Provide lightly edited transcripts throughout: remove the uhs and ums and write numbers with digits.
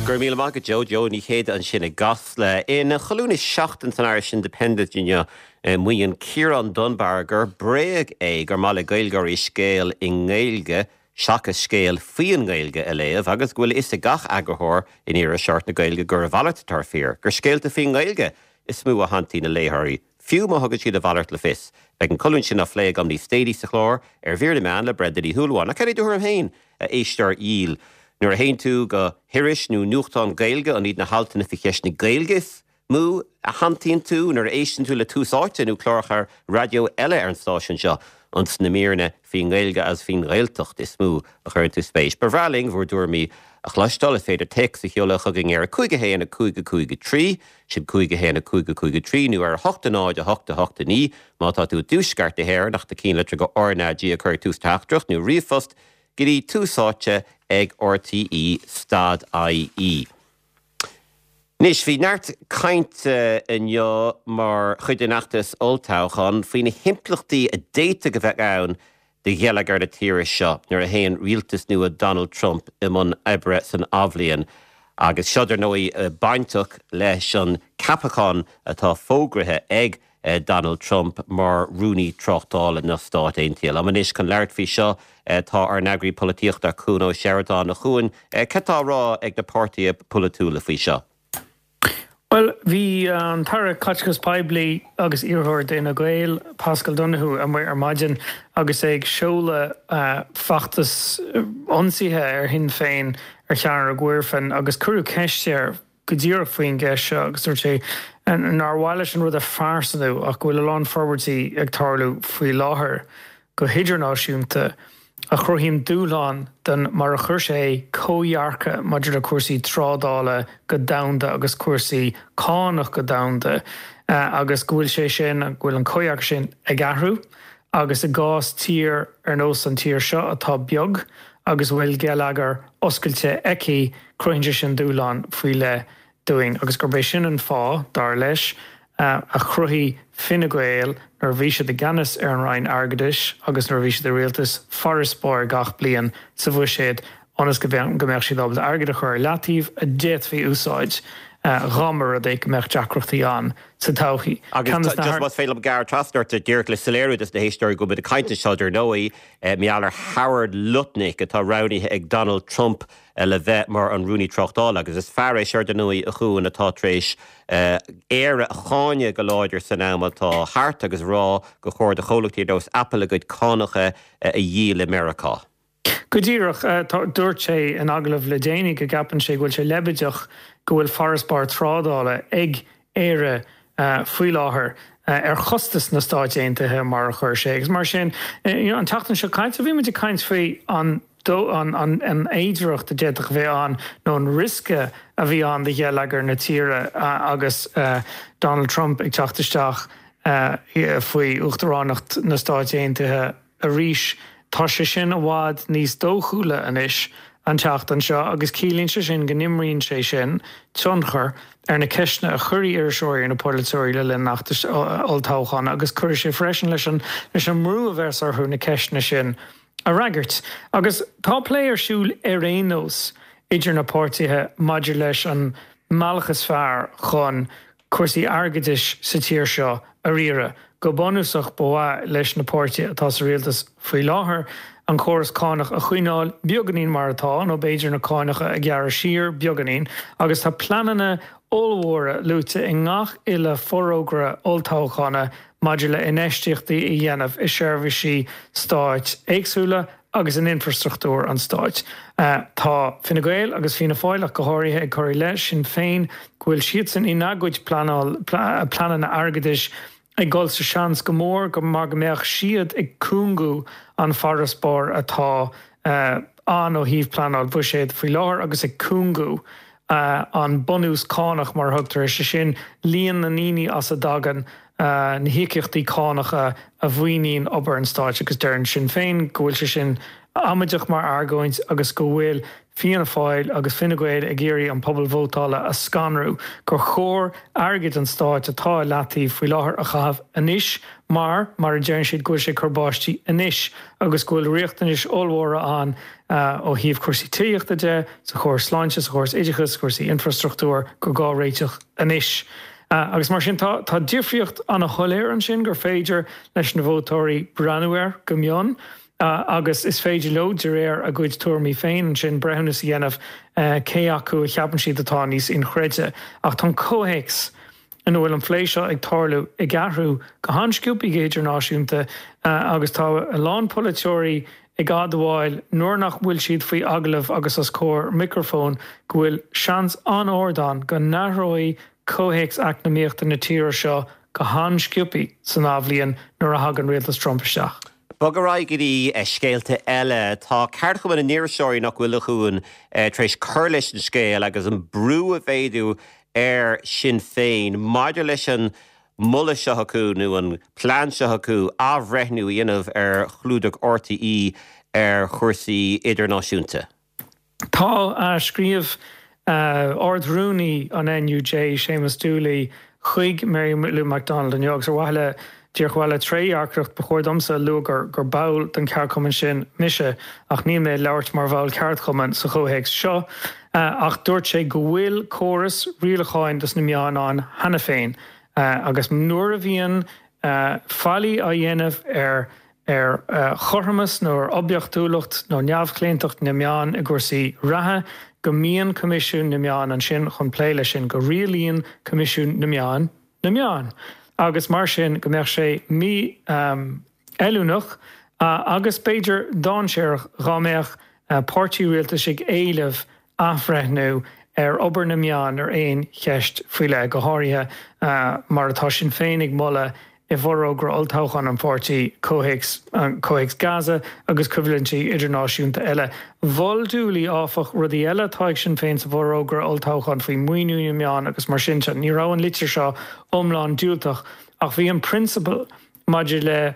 Go raibh míle maith agat Joe, Joe Ní Chéide ansin i gCasla. Ina cholún is Seachtain san Irish Independent inniu, maíonn Ciarán Dunbar gur bréag é gur maith le Gaeilgeoirí scéal i nGaeilge seachas scéal faoin nGaeilge a léamh agus go bhfuil a fhios ag gach eagarthóir in iriseoireacht na Gaeilge gur a mhalairt atá fíor, gur scéalta faoin nGaeilge is mó a shantaíonn a léitheoirí, fiú má thugann siad a mhalairt le fios. Beidh an colún sin á phlé agam níos déanaí sa chlár ar Mhír na Meán le Brenda Ní Shúilleabháin. Ach cad é do thuairim féin, a éisteoir dhil? Nuair a théann tú go hiris nó nuachtán Gaeilge, an iad na haltanna faoi cheist na Gaeilge is mó a shantaíonn tú? Nuair a éisteann tú le Tús Áite nó cláracha raidió eile ar an stáisiún seo, an sna míreanna faoin nGaeilge agus faoin nGaeltacht is mó a chuireann tú spéis? Ba bhreá linn bhur dtuairimí a chloisteáil. Is féidir téacs a sheoladh chugainn ar 5 1 5 5 3, sin 5 1 5 5 3, nó ar 8 0 8 8 9 má tá tú i dtuaisceart na hÉireann ach do chinnlitir go RnaG a chur ag tús teachtaireacht nó ríomhphost go dtí Tús Áite ag RTÉ stad IE. Anois, bhí neart cainte inniu mar chuid den fheachtas olltoghcháin faoi na himpleachtaí a d'fhéadfadh a bheith ann do gheilleagar na tíre seo nuair a théann rialtas nua Donald Trump i mbun oibre san athbhliain. Agus seo, dar ndóigh, bainteach leis an ceapachán atá fógraithe ag Donald Trump mar Rúnaí Tráchtála na Stát Aontaithe. Liom anois chun labhairt faoi seo tá ár n-eagraí polaitíochta, Cuan Ó Seireadáin. A Chuain, cad tá á rá ag na páirtithe polaitiúla faoi seo? Bhuel, bhí an tAire Caiteachais Poiblí agus iarrthóir d'Fhine Gael, Paschal Donohoe, amuigh ar maidin agus é ag seoladh feachtas ionsaithe ar Shinn Féin ar Chearnóg Mhuirfean agus cuireadh ceist air go díreach faoin gceist seo agus dúirt sé nár mhaith leis an rud a phearsanú ach go bhfuil a lán forbairtí ag tarlú faoi láthair go hidirnáisiúnta a chruthaíonn dúshlán don, mar a chuir sé é, comhdhearcadh maidir le cúrsaí trádála go domhanda agus cúrsaí cánach go domhanda agus go bhfuil sé sin, go bhfuil an comhdhearcadh sin ag athrú agus i gcás tír ar nós an tír seo atá beag agus a bhfuil geilleagar oscailte aici, cruthaíonn sé sin dúshlán faoi leith dúinn agus gurb é sin an fáth, dar leis, a chruthaigh Fine Gael nuair a bhí siad i gceannas ar an Roinn Airgeadais agus nuair a bhí siad i rialtas, farasbarr gach bliain sa bhuiséad ionas go mbeadh siad ábalta airgead a chur ar leataobh a d'fhéadfaí úsáid dá mba rud é go mbeadh deacrachtaí ann sa todhchaí. Agus just más féidir liom gearradh trasna ort, díreach le soiléiriú dos na héisteoirí go bhfuil muid ag caint anseo dar ndóigh mar gheall ar Howard Lutnick atá roghnaithe ag Donald Trump le bheith mar an Rúnaí Tráchtála agus is fear é seo dar ndóigh a Chuain atá tar éis Éire a cháineadh go láidir san am atá thart agus a rá gur chóir do chomhlachtaí ar nós Apple a gcuid cánacha a dhíol i Meiriceá. Go díreach. Dúirt sé in agallamh le déanaí go gceapann sé go bhfuil sé leibideach go bhfuil farasbarr trádála ag Éire faoi láthair ar chostas na Stáit Aontaithe, mar a chuir sé. Agus mar sin, an tseachtain seo caite bhí muid ag caint faoi an an fhéidearthacht a d'fhéadfadh a bheith ann nó an riosca a bhí ann do gheilleagar na tíre agus Donald Trump ag teacht isteach faoi uachtaránacht na Stáit Aontaithe. Arís, tá sé sin i bhfad níos dóchúla anois an tseachtain seo agus ciallaíonn sé sin go n-imríonn sé sin tionchar ar na ceisteanna a chuirfidh iriseoirí ar na polaiteoirí le linn an fheachtais olltoghcháin agus cuirfidh sé freisin leis an leis an mbrú a bheas orthu na ceisteanna sin a fhreagairt. Agus tá plé ar siúl ar aon nós idir na páirtithe maidir leis an mbealach is fearr chun cúrsaí airgeadais sa tír seo a riaradh. Go bunúsach, ba mhaith leis na páirtithe atá sa rialtas faoi láthair an córas cánach a choinneáil beagáinín mar atá, nó b'fhéidir na cánacha a ghearradh siar beagáinín, agus tá pleananna ollmhóra luaite i ngach uile forógra olltoghchána maidir le infheistíochtaí a dhéanamh i seirbhísí stáit éagsúla agus in infreastruchtúr an stáit. Tá Fine Gael agus Fianna Fáil ach go háirithe ag cur i leith Sinn Féin go bhfuil siadsan ina gcuid pleananna airgeadais ag dul sa seans go mór go mar go mbeadh siad ag cúngú an farasbarr atá ann ó thaobh pleanáil bhuiséid faoi láthair agus ag cúngú an bunús cánach mar a thugtar air, sé sin líon na ndaoine as a dtagann na híocaíochtaí cánacha a mhaoiníonn obair an stáit agus deireann Sinn Féin go bhfuil sé sin. amaideach mar argóint agus go bhfuil Fianna Fáil agus Fine Gael ag iarraidh an pobal vótála a scanrú, gur chóir airgead an stáit atá i leataobh faoi láthair a chaitheamh anois mar, mar a deireann siad, go bhfuil sé ag cur báistí anois agus go bhfuil riachtanais ollmhóra ann ó thaobh cúrsaí tithíochta de, sa chóras sláinte, sa chóras oideachais, cúrsaí infrastruchtúir, gur gá réiteach anois. Agus mar sin tá tá difríocht ana-shoiléir ansin gur féidir leis na vótóirí breathnú air go mion. Agus is féidir leo, de réir a gcuid tuairimí féin ansin, breithiúnas a dhéanamh cé acu a cheapann siad atá níos inchreidte. Ach tá an comhthéacs ina bhfuil an phlé seo ag tarlú ag athrú go han-sciobtha go hidirnáisiúnta agus tá a lán polaiteoirí ag admháil nuair nach bhfuil siad faoi agallamh agus os comhair micreafóin go bhfuil seans an-ard ann go n-athróidh comhthéacs eacnamaíochta na tíre seo go han-sciobtha san athbhliain nuair a thagann rialtas Trump isteach. Bog ar aghaidh go dtí scéalta eile. Tá Ceardchumann na nIriseoirí, nach bhfuil, a Chuain, tar éis cur leis an scéal agus an brú a mhéadú ar Shinn Féin maidir leis an moladh seo acu nó an plean seo acu athbhreithniú a dhéanamh ar chlúdach RTÉ ar chúrsaí idirnáisiúnta. Tá, scríobh Ard-Rúnaí an NUJ, Séamus Dooley, chuig Mary Lou McDonald inniu agus ar mhaithe le, díreach ar mhaithe le trédhearcacht, ba chóir domsa a lua gur ball den cheardchumann sin mise ach níl mé ag labhairt mar bhall ceardchumainn sa chomhthéacs seo. Ach dúirt sé go bhfuil córas rialacháin dos na meáin ann cheana féin agus nuair a bhíonn faillí á dhéanamh ar ar chothromas nó ar oibiachtúlacht nó neamhchlaontacht na meán i gcúrsaí reatha, go mbíonn Coimisiún na Meán ansin chun plé leis sin, go rialaíonn Coimisiún na Meán na meáin agus mar sin go mbeadh sé mífheiliúnach agus b'fhéidir dainséarach dhá mbeadh páirtí rialtais ag éileamh athbhreithniú ar obair na meán ar aon cheist faoi leith, go háirithe mar atá Sinn Féin ag moladh i bhforógra olltoghcháin an pháirtí, comhthéacs comhthéacs Gaza agus coimhlintí idirnáisiúnta eile. Mhol Dooley, áfach, rudaí eile atá ag Sinn Féin sa bhforógra olltoghcháin faoi mhaoiniú na meán agus mar sin de. Ní raibh an litir seo iomlán diúltach ach bhí an prionsabal maidir le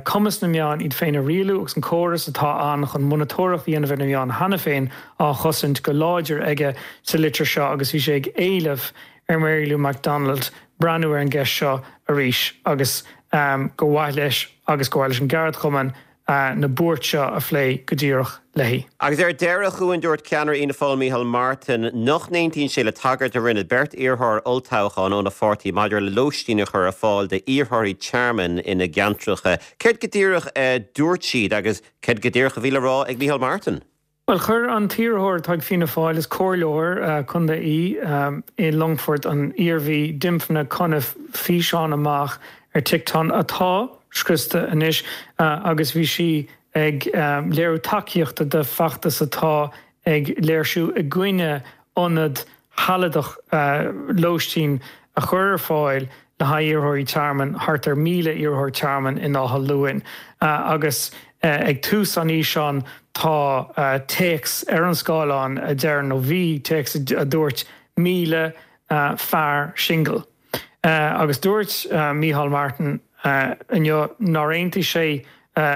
cumas na meán iad féin a rialú agus an córas atá ann chun monatóireacht a dhéanamh ar na meáin cheana féin á chosaint go láidir aige sa litir seo agus bhí sé ag éileamh ar Mary Lou McDonald breathnú ar an gceist seo arís agus gur mhaith leis agus gur mhaith leis an gceardchumann na buairt seo a phlé go díreach léi. Agus ar deireadh, a Chuain, dúirt ceannaire Fhianna Fáil Micheál Martin nach n-aontaíonn sé le tagairt a rinne beirt iarrthóir olltoghcháin óna pháirtí maidir le lóistín a chur ar fáil d'iarrthóirí tearmainn ina gceantracha. Céard go díreach a dúirt siad agus céard go díreach a bhí le rá ag Micheál Martin? Bhuel, chuir an t-iarrthóir atá ag Fianna Fáil, is comhairleoir contae í i Longfort, an Iarmhí, Dymphna Cunniffe, físeán amach ar TikTok atá scriosta anois agus bhí sí ag léiriú tacaíochta do feachtas atá ag léirsiú i gcoinne ionad shealadach lóistín a chur ar fáil le haghaidh iarrthóirí tearmainn, thart ar 1,000 iarrthóir tearmainn in Áth Luain. Agus ag tús an fhíseáin tá téacs ar an scáileán a deir, nó bhí téacs a dúirt 1,000 fear singil. Agus dúirt Micheál Martin inniu nár aontaigh sé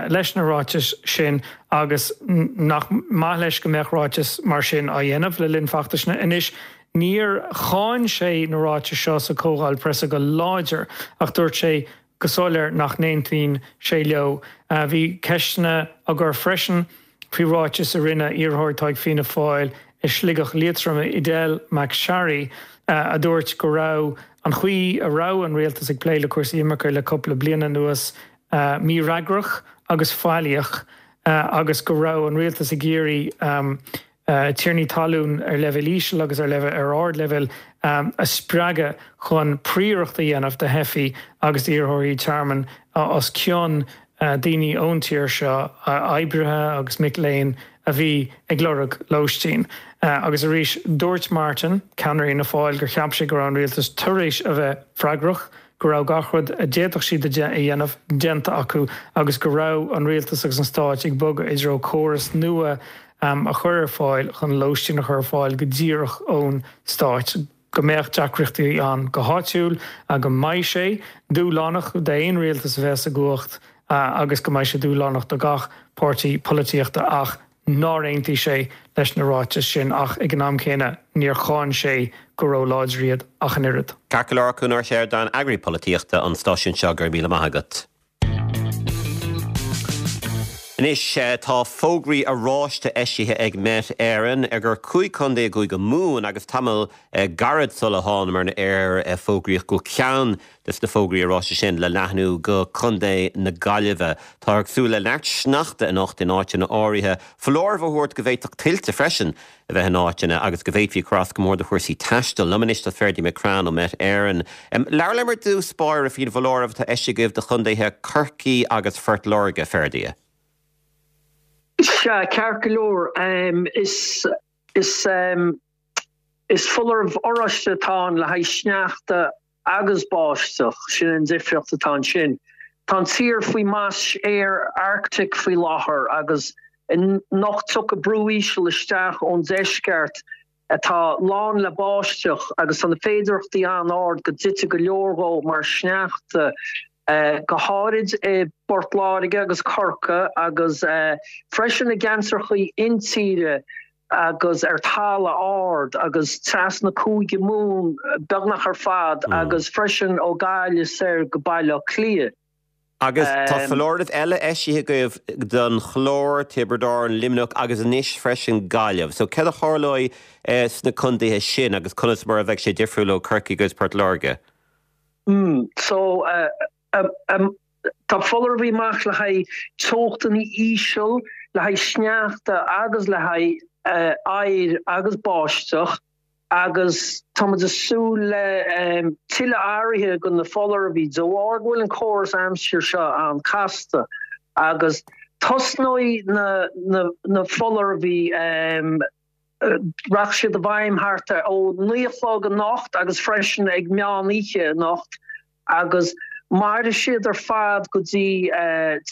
leis na ráitis sin agus nach maith leis go mbeadh ráitis mar sin á dhéanamh le linn feachtais. Anois, níor cháin sé na ráitis seo sa chomhdháil preasa go láidir ach dúirt sé go soiléir nach n-aontaíonn sé leo. Bhí ceisteanna á gcur freisin faoi ráiteas a rinne iarrthóir atá ag Fianna Fáil i Sligeach Liatroim, Edel McSharry, a dúirt go raibh an chaoi a raibh an rialtas ag plé le cúrsaí imirce le cúpla bliain anuas mífhreagrach agus faillíoch agus go raibh an rialtas ag iarraidh tiarnaí talún ar leibhéal íseal agus ar leibhéal ar ardleibhéal a spreagadh chun príoracht a dhéanamh de theifigh agus d'iarrthóirí tearmainn os cionn daoine ón tír seo, oibrithe agus mic léinn a bhí ag lorg lóistín. Agus arís, dúirt Martin, ceannaire Fhianna Fáil, gur cheap sé go raibh an rialtas tar éis a bheith freagrach, go raibh gach rud a d'fhéadfadh siad a dhéanamh déanta acu agus go raibh an rialtas agus an stáit ag bogadh i dtreo córas nua a chur ar fáil chun lóistín a chur ar fáil go díreach ón stáit, go mbeadh deacrachtaí ann go háitiúil, go mbeidh sé dúshlánach d'aon rialtas a bheas i gcumhacht. agus go mbeidh sé dúshlánach do gach páirtí polaitíochta ach nár aontaigh sé leis na ráitis sin ach ag an am céanna níor cháin sé go ró-láidir iad ach an oiread. Ceart go leor, Cuan Ó Seireadáin, Eagraí Polaitíochta an stáisiúin seo, go raibh míle maith agat. Anois tá fógraí oráiste eisithe ag Met Éireann ar gur 5 chontae i gCúige Mumhan agus tamall gairid sula thánamar ar aer fógraíodh go bhfuil ceann des na fógraí oráiste sin le leathnú go Contae na Gaillimhe. Táthar ag súil le neart sneachta anocht in áiteanna áirithe, foláireamh á thabhairt go bhféadfadh tuilte freisin a bheith in áiteanna agus go bhféadfaí cur as go mór do chúrsaí taistil. Liom anois tá Ferdia McCrann ó Met Éireann. Labhair liom ar dtús báire faoin bhfoláireamh atá eisithe agaibh do chontaetha Chorcaí agus Phort Láirge, Ferdia. Sea, ceart go leor. Is is foláireamh oráiste atá ann le haghaidh sneachta agus báisteach, sin an difríocht atá ansin. Tá an tír faoi mais aeir Arctic faoi láthair agus anocht tiocfaidh brú íseal isteach ón deisceart atá lán le báisteach agus tá na féidearthachtaí an-ard go dtitfidh go leor dhó mar shneachta, go háirid i bPort Láirge agus Corcaigh agus freisin i gceantracha intíre. agus ar talamh ard agus trasna Cúige Mumhan beagnach ar fad agus freisin ó Gaillimh soir go Baile Átha Cliath. Agus tá foláireamh eile eisithe agaibh don Chlár, Tiobraid Árann, Luimneach agus anois freisin Gaillimh. So céard a tharlóidh sna contaetha sin agus conas mar a bheidh sé difriúil ó Corcaigh agus Port Láirge? So Tá foláireamh amach le haghaidh teochtanna íseal, le haghaidh sneachta agus le haghaidh oighir agus báisteach agus tá muid ag súil le tuilleadh athruithe go na foláireamh de bharr go bhfuil an córas aimsire seo an-casta agus tosnóidh na foláireamh Rachaidh siad i bhfeidhm thart ar ó 9 a chlog anocht agus freisin ag meán oíche anocht agus mairfidh siad ar fad go dtí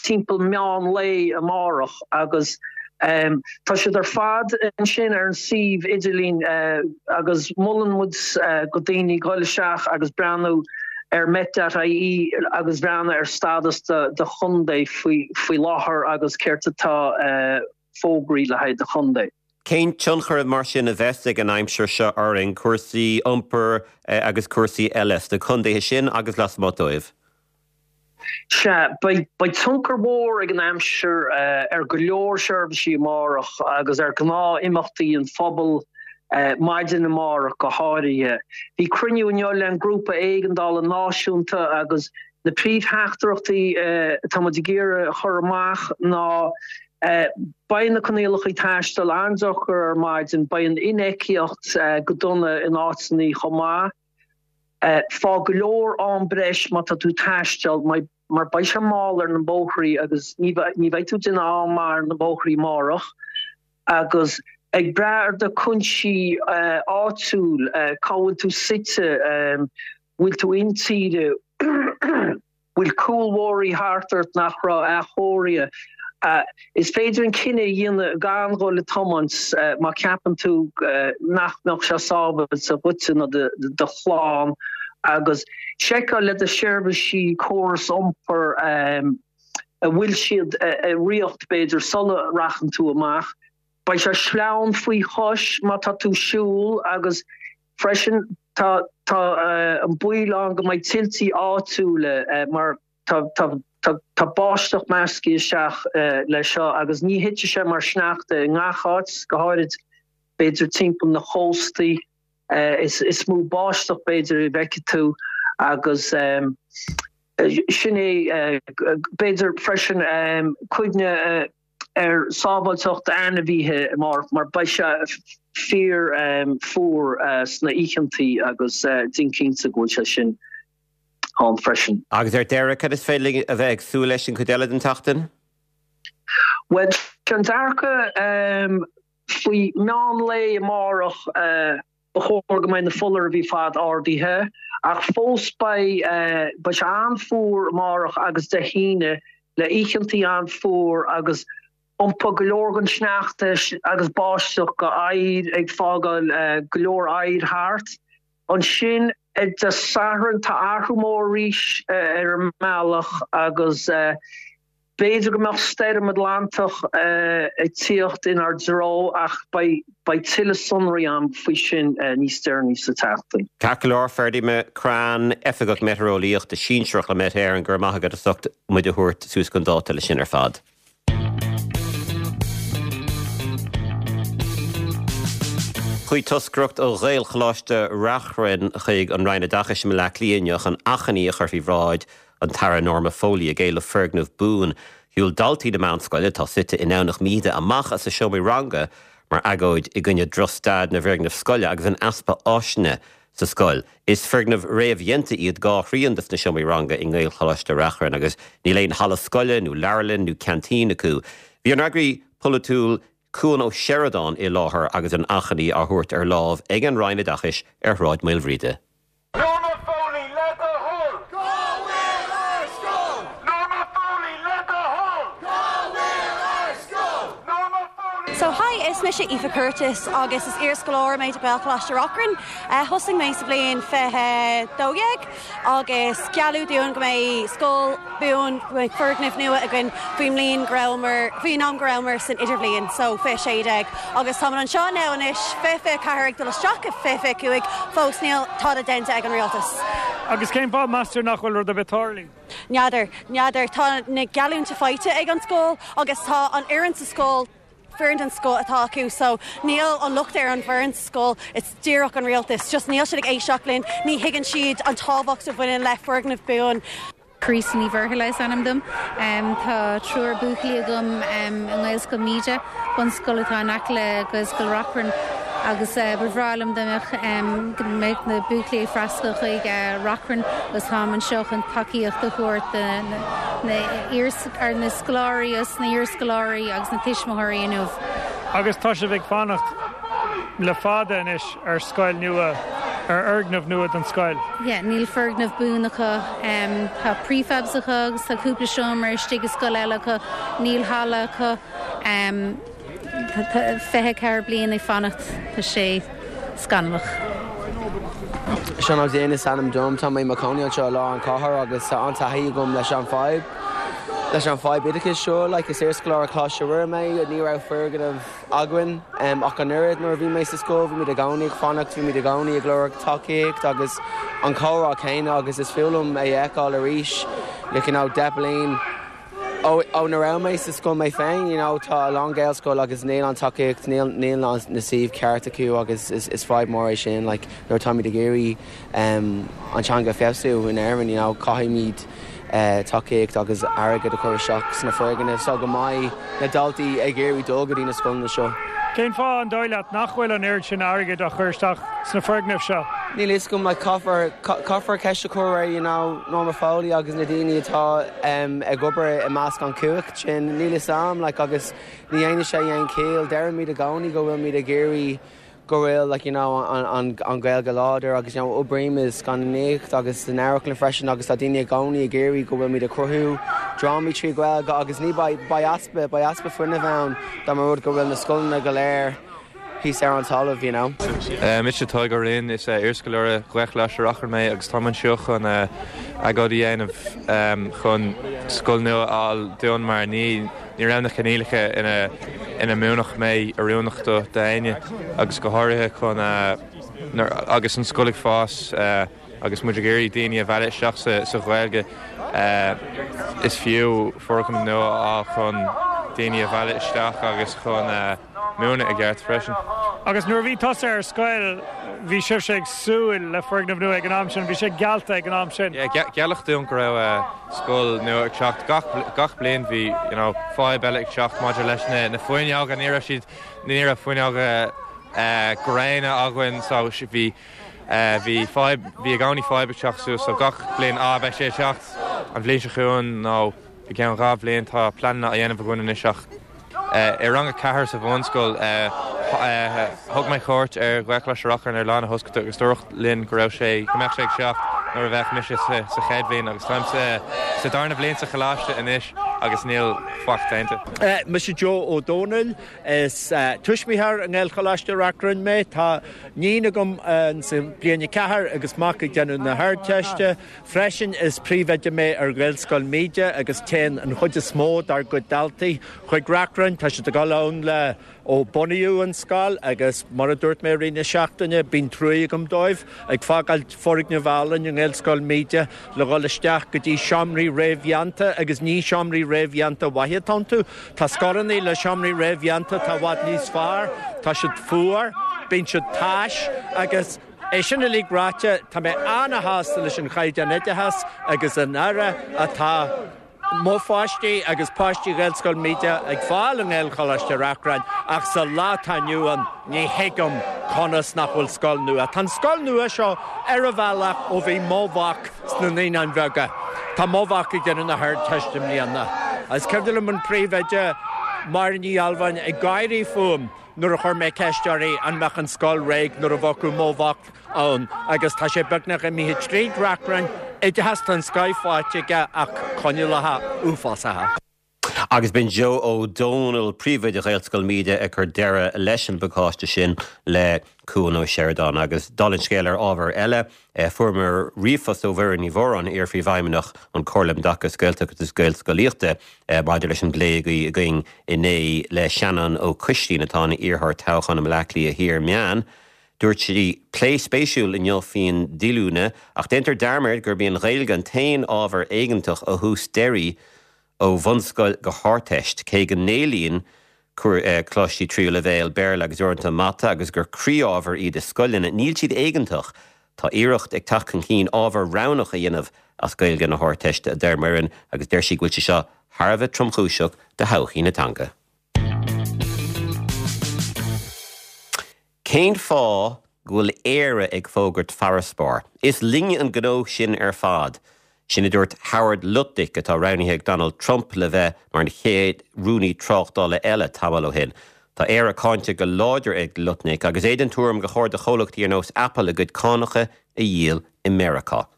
timpeall meán lae amárach agus tá siad ar fad ansin ar an suíomh idirlín agus molann muid go daoine dhul isteach agus breathnú ar met.ie agus breathnú ar stádas do chontae faoi láthair agus céard atá fógraí le haghaidh do chontae. Cén tionchar mar sin a bheas ag an aimsir seo orainn, cúrsaí iompair agus cúrsaí eile sna contaetha sin agus lasmuigh dóibh? Sea, beidh tionchar mhór ag an aimsir ar go leor seirbhísí amárach agus ar ghnáth-imeachtaí an phobail maidin amárach go háirithe. Bhí cruinniú inniu le an Grúpa Éigeandála Náisiúnta agus na príomhtheachtaireachtaí atá muid ag iarraidh a chur amach ná Beidh na coinníollacha taistil an-deacair ar maidin, beidh an infheictheacht go dona in áiteanna chomh maith. Fág go leor am breis má tá tú ag taisteal mar beidh sé mall ar na bóithrí agus ní bheidh tú ag déanamh am maith ar na bóithrí amárach. Agus ag brath ar do chúinsí áitiúil, cá bhfuil tú suite, bhfuil tú intíre, bhfuil cúlbhóithrí thart ort nach raibh athchóirithe. Is féidir an cinneadh a dhéanamh gan dhul ag tiomáint má ceapann tú nach mbeadh sé sábháilte dhuitse nó do chlann agus seiceáil le do sheirbhísí córas iompair an bhfuil siad i riocht b'fhéidir sula rachann tú amach. Beidh sé sleamhain faoi chois má tá tú ag siúl agus Freisin, tá tá an baol ann go mbeidh tuiltí áitiúla mar tá tá tá báisteach measctha isteach leis seo agus ní thitfidh sé mar sneachta i ngach áit, go háirid b'fhéidir timpeall na chóstaí. Is is mó báisteach b'fhéidir a bhfeicfidh tú agus sin é b'fhéidir freisin cuimhne ar sábháilteacht ainmhithe amárach mar beidh sé fíor fuar sna oícheantaí agus déan cinnte go bhfuil sé sin ann freisin. Agus ar deireadh, cad is féidir linn a bheith ag súil leis an chuid eile den tseachtain? Bhuel, sé an dearcadh faoi meán lae amárach, Ba chóir go mbeidh na foláirimh ar fad ardaithe, ach fós beidh beidh sé an-fhuar amárach agus Dé hAoine, le oícheantaí an-fhuar agus iompóidh go leor den sneachta agus báisteach go oighear ag fágáil go leor oighir thart. Ansin Dé Sathairn tá athrú mór arís ar an mbealach agus. B'fhéidir go mbeadh stoirm Atlantach ag tíocht inár dtreo ach beidh tuilleadh sonraí agam faoi sin níos deireanaí sa tseachtain. Ceart go leor, Ferdie McCrann, Oifigeach Meitéareolaíochta Sinsearach le Met Éireann, go raibh maith agat as ucht muid a thabhairt suas chun dáta leis sin ar fad. Chuaigh toscaireacht ó Ghaelcholáiste Reachrann chuig an Roinn Oideachais i mBaile Átha Cliath inniu chun achainí a chur faoi bhráid an tAire Norma Foley ag éileamh foirgneamh buan. Shiúil daltaí na meánscoile, atá suite i nDomhnach Míde, amach as a seomraí ranga mar agóid i gcoinne drochstaid na bhfoirgneamh scoile agus an easpa áiseanna sa scoil. Is foirgnimh réamhdhéanta iad dá thrian de na seomraí ranga i nGaelcholáiste Reachrann agus níl aon halla scoile nó leabharlann nó ceaintín acu. Bhí an fhreagraí polaitiúil Cuan Ó Seireadáin i láthair agus an achainí á thabhairt ar láimh ag an Roinn Oideachais ar Shráid Maoilbhríde. Norma Foley, le do thoil! Cá bhfuil ár scoil? Norma Foley, le do thoil! Cá bhfuil ár scoil? Norma Foley. So hi, is mise Aoife Curtis agus is iarscoláire mé de Ghaelcholáiste Reachrann. Thosaigh mé sa bhliain 2012 agus gealladh dúinn go mbeidh scoil buan, go mbeidh foirgneamh nua againn faoin mbliain go rabhamar, faoin am go rabhamar san idirbhliain, so 2016. Agus táimid anseo now anois, 2024 ag dul isteach i 2025, fós níl tada déanta ag an rialtas. Agus cén fáth, meas tú, nach bhfuil rud ar bith tarlaithe? N'fheadar, n'fheadar. Tá na geallúintí faighte ag an scoil agus tá an fhoireann sa scoil, foireann den scoth atá acu so níl an locht ar an bhfoireann sa scoil, it's díreach an rialtas, just níl siad ag éisteacht linn, ní thuigeann siad an tábhacht a bhaineann le foirgneamh buan. Teresa Ní Mhuirthile is ainm dom. Tá triúr buachaillí agam i nGaelscoil Míde, bunscoil atá in aice le Gaelscoil Reachrann agus ba bhreá liom dá mbeadh go mbeadh na buachaillí ag freastal chuig Reachrann agus táim anseo chun tacaíocht a thabhairt do na ar na scoláirí agus na hiarscoláirí agus na tuismitheoirí inniu. Agus tá sibh ag fanacht le fada anois ar scoil nua, ar fhoirgneamh nua don scoil. Yeah, níl foirgneamh buan acu. Tá prefabs acu agus tá cúpla seomra istigh i scoil eile acu. Níl halla acu. Tá 24 bliain ag fanacht, tá sé scannalach. Seán Ó Duinn is ainm dom. Tá mé i mo chónaí anseo i lár an chathair agus tá an-taithí agam leis an fadhb leis an fadhb oideachais seo. Like, is iarscoláire Choláiste Mhuire mé, ní raibh foirgneamh againn ach an oiread nuair a bhí mé sa scoil. Bhí muid i gcónaí ag fanacht, bhí muid i gcónaí ag lorg tacaíocht agus an comhrá céanna agus is fuath liom é a fheiceáil arís like, you know, 10 bliain Ó nuair a raibh mé sa scoil mé féin, you know, tá a lán Gaelscoil agus níl an tacaíocht, níl, níl na suímh ceart acu agus is, is fadhb mór é sin, like, nuair atáimid ag iarraidh um, an teanga a feabhsú in Éirinn, you know, caithfimid uh, tacaíocht agus airgead a chur isteach sna foirgnimh so go mbeidh na daltaí ag iarraidh dul go dtí na scoileanna seo. Cén fáth, an dóigh leat, nach bhfuil an oiread sin airgid á chur isteach sna foirgnimh seo? Níl fhios agam, like, caithfear, caithfear ceist a chur ar, you know, Norma Foley agus na daoine atá ag obair i measc an chumhacht sin. Níl fhios a'm, like, agus ní dhéanann sé aon chiall. Deirimid i gcónaí go bhfuilmid ag iarraidh go bhfuil, like, you know, an, an, an Ghaeilge láidir agus, you know, oibrím i scannánaíocht agus san amharclann freisin agus tá daoine i gcónaí ag iarraidh go bhfuilmid ag cruthú drámaí trí Ghaeilge agus ní, beidh, beidh easpa, beidh easpa fuinnimh ann dá mba rud go bhfuil na scoileanna go léir thíos ar an talamh, you know. Mise Tadhg Ó Rinn, is iarscoláire Ghaelcholáiste Reachrann mé agus táim anseo chun agóid a dhéanamh chun scoil nua a fháil dúinn mar ní ní raibh na coinníollacha ina ina múinfeadh mé oiriúnach do d'éinne agus go háirithe chun agus an scoil ag fás agus muid ag iarraidh daoine a mhealladh isteach sa sa Ghaeilge is fiú foirgneamh nua a fháil chun daoine a mhealladh isteach agus chun múineadh i gceart freisin. Agus nuair a bhí tusa ar scoil, bhí sibhse ag súil le foirgneamh nua ag an am sin, bhí sé geallta ag an am sin. Yeah, gealladh dúinn go raibh scoil nua ag teacht. Gach, gach bliain bhí, you know, fadhb eile ag teacht maidir leis na, na fuinneoga. Ní raibh siad, ní raibh fuinneoga gréine againn so bhí, bhí fadhb, bhí i gcónaí fadhb ag teacht suas so gach bliain, ah, beidh sé ag teacht an bhliain seo chugainn nó i gceann 2 bhliain. Tá pleananna á dhéanamh againn anois ach i rang 4 sa bhunscoil thug mé cuairt ar Ghaelcholáiste Reachrann ar lá na hoscailte agus dúradh linn go raibh sé, go mbeadh sé ag teacht nuair a bheadh mise sa chéad bhliain agus táim sa darna bliain sa choláiste anois. agus níl faic déanta. Mise Joe Ó Dónaill. Is tuismitheoir i nGaelcholáiste Reachrann mé. Tá níon agam sa bliain 4 agus mac ag déanamh na hArdteiste. Freisin is príomhoide mé ar Ghaelscoil Míde agus téann an chuid is mó dár gcuid daltaí chuig Reachrann. Tá siad ag dul ann le ó bunaíodh an scoil agus mar a dúirt mé i rith na seachtaine, bíonn truaí agam dóibh, ag fágáilt foirgneamh álainn i nGaelscoil Míde le dhul isteach go dtí seomraí réamhdhéanta agus ní seomraí réamhdhéanta mhaithe atá iontu. Tá scoileanna le seomraí réamhdhéanta atá i bhfad níos fearr, tá siad fuar, bíonn siad tais agus é sin uilig ráite, tá mé ana-shásta leis an chaighdeán oideachais agus an aire atá mo pháistí agus páistí Ghaelscoil Míde ag fáil i nGaelcholáiste Reachrann ach sa lá atá inniu ann ní thuigim conas nach bhfuil scoil nua. Tá an scoil nua seo ar a bhealach ó bhí mo mhac sna Naíonáin Bheaga. Tá mo mhac ag déanamh na hArdteiste i mbliana. Is cuimhin liom an príomhoide, Máire Ní Ghealbháin, ag gáirí fúm nuair a chuir mé ceist uirthi an mbeadh an scoil réidh nuair a bheadh mo mhac ann agus tá sé beagnach imithe tríd Reachrann, oideachas den scoith faighte aige ach coinníollacha uafásacha. Agus b'in Joe Ó Dónaill, príomhoide Ghaelscoil Míde ag cur deireadh leis an bpacáiste sin le Cuan Ó Seireadáin. Agus dála an scéil ar ábhar eile, fuaireamar ríomhphost ó Mhuireann Ní Mhóráin, iar-phríomhfheidhmeannach an Chomhairle um dTaca Gaeltachta agus Gaelscolaíochta, maidir leis an bplé a bhí againn inné le Seanán Ó Coistín, atá ina iarrthóir toghcháin i mBleá Cliath Thiar Meán. Dúirt sí, Plé spéisiúil inniu faoin díolúine, ach déantar dearmad gurb í an Ghaeilge an t-aon ábhar éigeantach ó thús deiridh ó bhunscoil go hArdteist, cé go n-éilíonn coláistí tríú leibhéal Béarla agus uaireanta Mata agus gur croí-ábhair iad i scoileanna, níl siad éigeantach. Tá iarracht ag teacht chun cinn ábhar roghnach a dhéanamh as Gaeilge na hArdteiste, a deir Muireann, agus deir sí go bhfuil sé seo thar a bheith tromchúiseach do thodhchaí na teanga. Cén fáth go bhfuil Éire ag fógairt farasbairr? Is linne an gnó sin ar fad. Sin a dúirt Howard Lutnick, atá roghnaithe ag Donald Trump le bheith mar an chéad Rúnaí Tráchtála eile, tamall ó shin. Tá Éire cáinte go láidir ag Lutnick agus é den tuairim gur chóir do chomhlachtaí ar nós Apple a gcuid cánacha a dhíol i Meiriceá.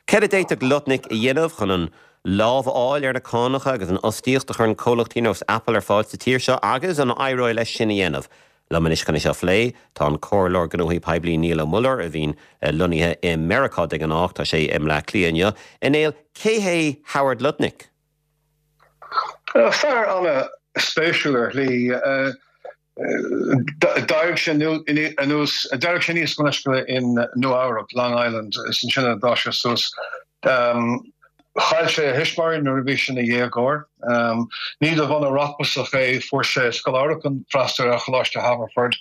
Céard a d'fhéadfadh Lutnick a dhéanamh chun an lámh a fháil ar na cánacha agus an fhostaíocht a chuireann comhlachtaí ar nós Apple ar fáil sa tír seo agus an éireoidh leis sin a dhéanamh? Liom anois chun é seo a phlé, tá an Comhairleoir Gnóthaí Poiblí Niall Ó Muilleoir, a bhíonn lonnaithe i Meiriceá de ghnáth. Tá sé i mBleá Cliath inniu. A Néill, cé hé Howard Lutnick? Fear an-spéisiúil ar shlí. D'éirigh sé anuas, d'éirigh sé aníos go leithscéal in Nua Eabhrac, Long Island, is ansin a d'fhás sé suas. Chaill sé a thuismitheoirí nuair a bhí sé ina dhéagóir. Ní de bhunadh rachmasach é, fuair sé scoláireacht chun freastal ar Choláiste Haverford,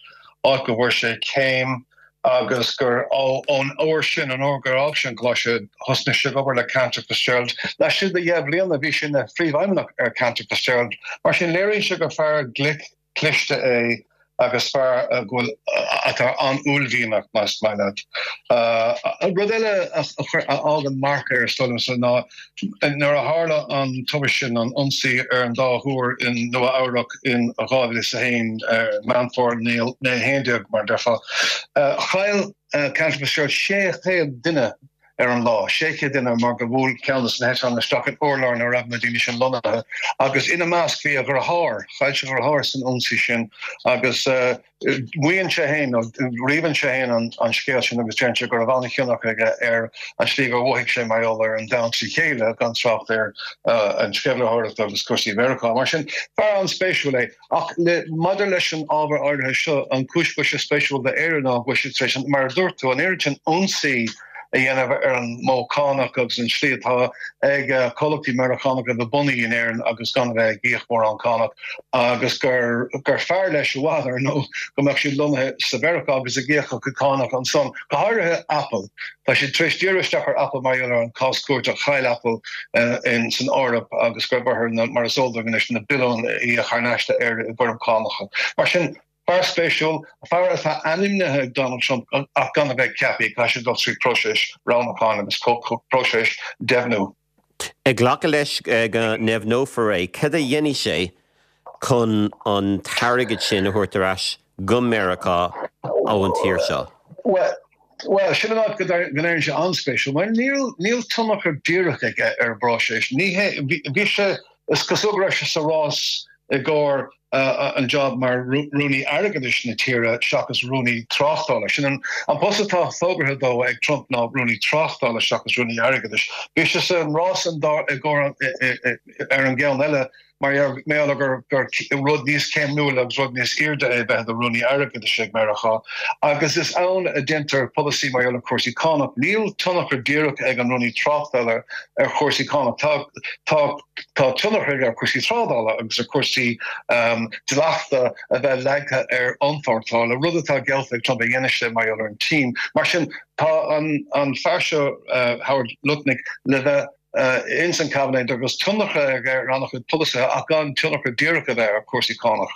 áit go bhfuair sé céim agus gur ón uair sin, an uair gur fhág sé an coláiste, thosnaigh sé ag obair le Cantor Fitzgerald. Laistigh de dheich mbliana bhí sé ina phríomhfheidhmeannach ar Cantor Fitzgerald. Mar sin léiríonn sé gur fear glic, cliste é agus fear a bhfuil atá an-uaillmhianach, más maith leat. Rud eile a fhágann marc air, is dóigh liomsa, ná nuair a tharla an tubaiste sin, an ionsaí ar an dá thúr in Nua Eabhrac in 2001, Meán Fómhair 2011, mar a déarfá, chaill Cantor Fitzgerald 600 duine ar an lá, 600 duine mar gur bhuail ceann de na heitleáin isteach in urlár ina raibh na daoine sin lonnaithe agus ina measc bhí a dheartháir, chaill sé a dheartháir san ionsaí sin agus maíonn sé féin, nó ríomhann sé féin an scéal sin agus deireann sé go raibh an-thionchar aige ar an slí gur mhothaigh sé mar gheall ar an domhan trí chéile, gan trácht ar an sceimhlitheoireacht agus cúrsaí Mheiriceá. Mar sin, fear an-spéisiúil é. Ach maidir leis an ábhar áirithe seo, an chúis go bhfuil sé spéisiúil d'Éire ná go bhfuil siad tar éis, mar a dúirt tú, an oiread sin ionsaí a dhéanamh ar an modh cánach agus an slí atá ag comhlachtaí Meiriceánacha a bheith bunaithe in Éirinn agus gan a bheith ag íoc mórán cánach agus gur gur fearr leis i bhfad, ar ndóigh, go mbeadh siad lonnaithe sa Mheiriceá agus ag íoc a gcuid cánach ansan, go háirithe Apple. Tá siad tar éis díriú isteach ar Apple mar gheall ar an cás cúirte a chaill Apple in san Eoraip agus go raibh orthu, mar is eol dúinn anois, na billiúin a íoc thar n-ais d'Éire i bhfoirm cánacha. Mar sin, fear spéisiúil, fear atá ainmnithe ag Donald Trump ach gan a bheith ceaptha, caithfidh sé dul trí próiseas roghnúcháin agus próiseas deimhniú. Ag glacadh leis go ndeimhneofar é, cad a dhéanfaidh sé chun an t-airgead sin a thabhairt ar ais go Meiriceá ón tír seo? Bhuel, sin an áit go n-éiríonn sé an-spéisiúil, mar níl tionchar díreach aige ar an bpróiseas. Ní hé, bhí sé. Is cosúil go raibh sé sa rás i gcomhair an job mar Rúnaí Airgeadais na tíre seachas Rúnaí Tráchtála. Sin an post atá fógartha dó ag Trump ná Rúnaí Tráchtála seachas Rúnaí Airgeadais. Bhí sé sa rás i gcomhair ar an gceann eile mar gheall gur rud níos céimniúla agus rud níos airde é bheith i do Rúnaí Airgeadais ag Meiriceá agus is ann a deintear polasaí mar gheall ar chúrsaí cánach. Níl tionchar díreach ag an Rúnaí Tráchtála ar chúrsaí cánach. Tá tá tá tionchar aige ar chúrsaí trádála agus ar chúrsaí dleachta a bheith leagtha ar iompórtáil, rud atá geallta ag Trump a dhéanfaidh sé mar gheall ar an tSín. Mar sin tá an an fear seo Howard Lutnick le bheith ins an Cabinet agus tionchar aige ar an-chuid polasaithe ach gan tionchar díreach a bheith ar chúrsaí cánach.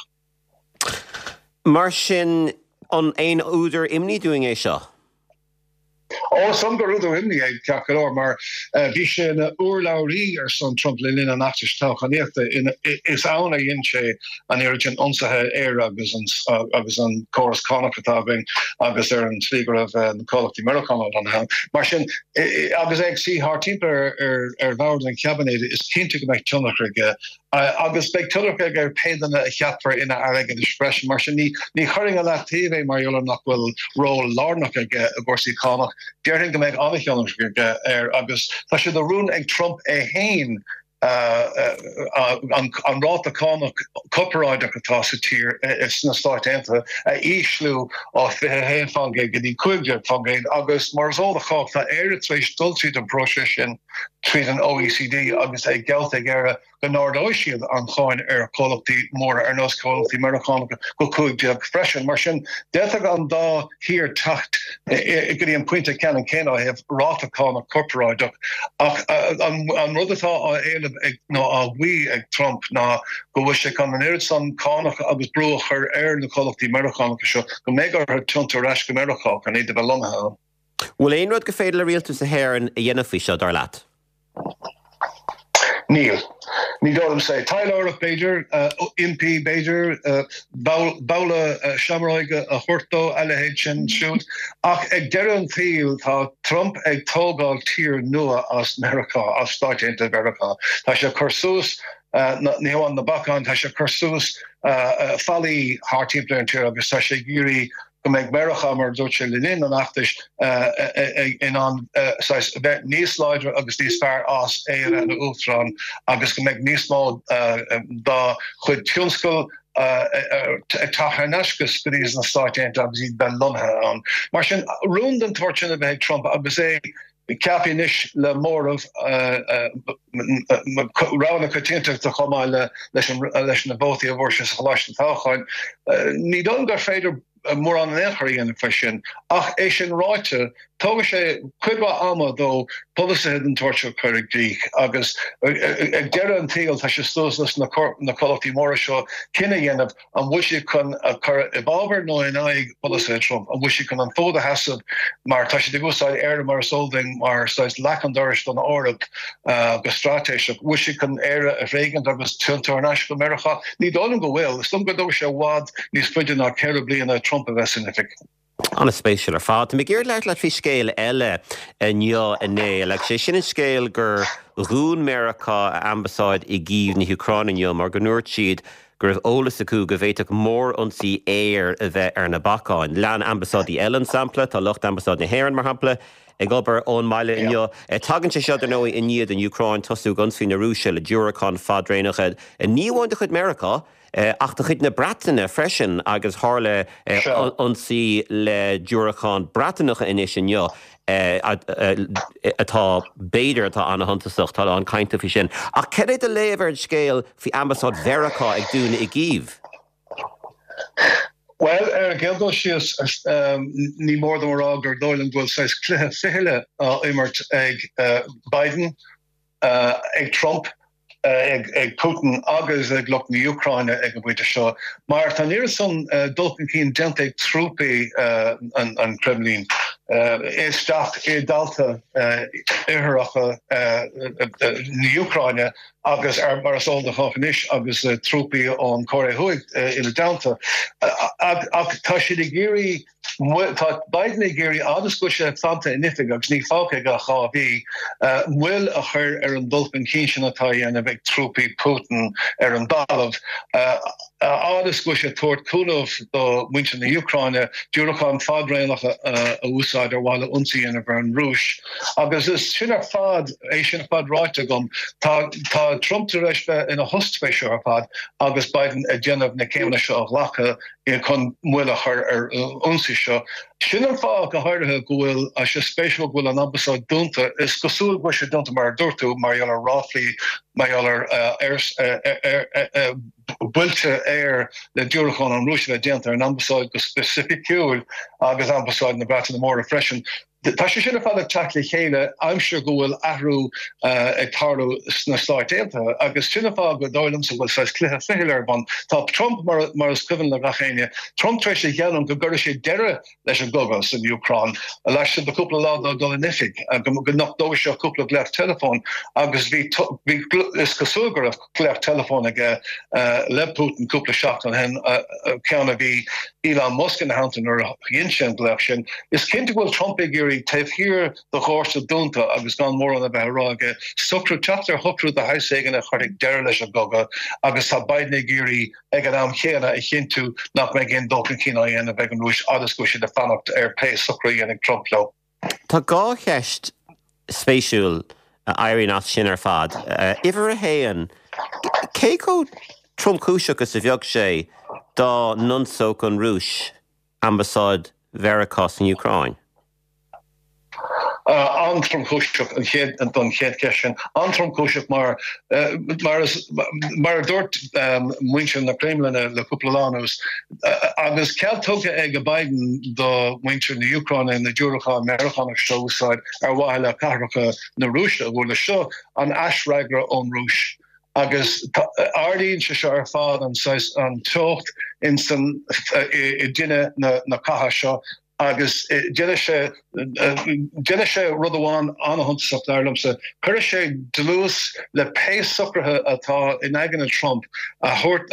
Mar sin, an aon údar imní dúinn é seo? Ó, is dóigh liom gur údar imní é, ceart go leor, mar bhí sé ina urlabhraí ar son Trump le linn an fheachtais toghchánaíochta. Is ann a dhein sé an oiread sin ionsaithe ar Éire agus an córas cánach atá againn agus ar an tslí go raibh na comhlachtaí Meiriceánacha lonnaithe ann. Mar sin, agus é ag suí thart timpeall ar bhord an chaibinéid, is cinnte go mbeidh tionchar aige agus beidh tionchar aige ar pé duine a cheapfar ina aire airgeadais freisin. Mar sin, ní chuirfinn i leataobh é mar gheall ar nach bhfuil ról lárnach aige i gcúrsaí cánach. Déarfainn go mbeidh an-thionchar aige air agus tá sé de rún ag Trump é féin an ráta cánach corparáideach atá sa tír, sna Stáit Aontaithe, a ísliú ó 21% go dtí 15% agus mar is eol do chách tá Éire tar éis dul tríd an bpróiseas sin tríd an OECD agus é geallta ag Éire go n-ardóidh siad an cháin ar chomhlachtaí móra ar nós comhlachtaí Meiriceánacha go 15 freisin. Mar sin, d'fhéadfadh an dá thír teacht go dtí an pointe ceannann céanna ó thaobh ráta cánach corparáideach ach an rud atá á éileamh ag nó á mhaí ag Trump ná go bhfuil sé chun an oiread san cánach agus brú a chur ar na comhlachtaí Meiriceánacha seo go mbeidh orthu tiontú ar ais go Meiriceá chun iad a bheith lonnaithe ann. Bhfuil aon rud gur féidir le rialtas na hÉireann a dhéanamh faoi seo, dar leat? Níl. Ní dóigh liomsa é. Taidhleoireacht, b'fhéidir, impí, b'fhéidir, babhla seamróige a thabhairt dó, a leithéid sin siúd. Ach ag deireadh an tsaoil, tá Trump ag tógáil tír nua as Meiriceá, as Stáit Aontaithe Mheiriceá. Tá sé ag cur suas, ní hamháin na bacáin, tá sé ag cur suas fallaí thart timpeall ar an tír agus tá sé ag iarraidh go mbeidh Meiriceá, mar a dúirt sé le linn an fheachtais, in ann saghas bheith níos láidre agus níos fearr as é a bheith ina uachtarán agus go mbeidh níos mó dá chuid tionscal ag teacht thar n-ais go dtí na Stáit Aontaithe agus iad bheith lonnaithe ann. Mar sin, rún den tsórt sin a bheith ag Trump agus é ceaptha anois le móramh rogha na coitiantachta chomh maith leis na vótaí a bhfuair sé sa Choláiste Toghcháin. Ní dóigh liom gur féidir mórán in aon chor a dhéanamh faoi sin. Ach é sin ráite, tógfaidh sé cuid mhaith ama dó polasaithe den tsórt seo a chur i gcrích agus ag deireadh an tsaoil tá sé suas leis na comhlachtaí móra seo cinneadh a dhéanamh An bhfuil siad chun a chur i bhfabhar nó in aghaidh polasaithe Trump? An bhfuil siad chun an fód a sheasamh mar tá siad ag úsáid Éire mar is eol duinn mar saghas leac an dorais don Eoraip go straitéiseach. Bhfuil siad chun Éire a thréigint agus tiontú thar n-ais go Meiriceá? Ní dóigh liom go bhfuil. Is dóigh liom go dtógfaidh sé i bhfad níos faide ná 4 bliana Trump a bheith san oifig. An-spéisiúil ar fad. Tá mé ag iarraidh labhairt leat faoi scéal eile inniu, a Néill, agus sé sin an scéal gur dhún Meiriceá a ambasáid i gCív na hÚcráine inniu mar go ndúirt siad go raibh eolas acu go bhféadfadh mórionsaí aeir a bheith ar na bacáin. Lean ambasáidí eile an sampla, tá lucht ambasáid na hÉireann, mar shampla, ag obair ón mbaile inniu. Tagann sé seo, dar ndóigh, i ndiaidh don Úcráin tosú ag ionsaí na Rúise le diúracáin fadtraenacha, ní amháin de chuid Meiriceá, ach de chuid na Breataine freisin agus tharla ionsaí le diúracáin Breatanacha anois inniu atá, b'fhéidir, atá an-shuntasach. Tá a lán cainte faoi sin. Ach cad é do léamh ar an scéal faoi ambasáid Mheiriceá ag dúnadh i gCív? Bhuel, ar an gcéad dul síos, ní mór dom a rá gur dóigh liom go bhfuil saghas cluiche fichille á imirt ag Biden, ag Trump, ag Putin agus ag lucht na hÚcráine ag an bpointe seo, mar tá an oiread san dul chun cinn déanta ag trúpaí an Chreimlín isteach i dtailte oirthearacha na hÚcráine agus, mar is eol do chách anois, agus trúpaí ón Chóiré Thuaidh ina dteannta. Ach tá siad ag iarraidh. Tá Biden ag iarraidh, fhad is go bhfuil sé fanta in oifig agus níl fágtha aige ach 2 mhí, moill a chur ar an dul chun cinn sin atá á dhéanamh ag trúpaí Putin ar an dtalamh. A fhad is go bhfuil sé ag tabhairt cúnamh do mhuintir na hÚcráine diúracáin fadraonacha a úsáid ar mhaithe le ionsaí a dhéanamh ar an Rúis. Agus is sin ar fad, é sin ar fad ráite agam, tá tá Trump tar éis bheith ina thost faoi seo ar fad agus Biden ag déanamh na céimeanna seo a ghlacadh chun moill a chur ar an ionsaí seo. Sin an fáth, go háirithe, go bhfuil sé spéisiúil go bhfuil an ambasáid dúnta. Is cosúil go bhfuil sé dúnta, mar a dúirt tú, mar gheall ar ráflaí, mar gheall ar buailte aeir le diúracáin ón Rúis a bheith déanta ar an ambasáid go specificiúil agus ambasáid na Breataine Móire freisin. Tá sé sin ar fad ag teacht le chéile aimsir go bhfuil athrú ag tarlú sna Stáit Aontaithe agus sin an fáth go dóigh liomsa go bhfuil saghas cluiche fichille ar bun. Tá Trump, mar is cuimhin le gach éinne, Trump tar éis a gheallúint go gcuirfeadh sé deireadh leis an gcogadh san Úcráin laistigh de chúpla lá dó dul in oifig, go nach dtógfaidh sé ach cúpla glaoch teileafóin agus bhí, is cosúil go raibh glaoch teileafóin aige le Putin cúpla seachtain ó shin, ceann a bhí Elon Musk ina theannta nuair a dhein sé an glaoch sin. Is cinnte go bhfuil Trump ag iarraidh, taobh thiar de dhoirse dúnta agus gan mórán a bheith á rá aige, socrú, teacht ar shocrú de shaghas éigin a chuirfidh deireadh leis an gcogadh agus tá Biden ag iarraidh, ag an am chéanna, a chinntiú nach mbeidh aon dul chun cinn á dhéanamh ag an Rúis fhad is go bhfuil siad ag fanacht ar pé socrú a dhéanfaidh Trump leo. Tá 2 cheist spéisiúil a éiríonn as sin ar fad. Uimhir a haon, cé chomh tromchúiseach is a bheadh sé dá n-ionsódh an Rúis ambasáid Mheiriceá san Úcráin? An-tromchúiseach an chéad, don chéad cheist sin. An-tromchúiseach mar, mar is, mar a dúirt muintir na Creimlinne le cúpla lá anuas, agus cead tugtha ag Biden do mhuintir na hÚcráine na diúracáin Meiriceánach seo a úsáid ar mhaithe le cathracha na Rúise a bhualadh. Seo an aisfhreagra ón Rúis agus ardaíonn sé seo ar fad an saghas, an teocht in san, i dtine na catha seo. Agus déanfaidh sé, déanfaidh sé rud amháin an-shuntasach, dar liomsa, cuirfidh sé dlús le pé socruithe atá in aigne Trump a thabhairt,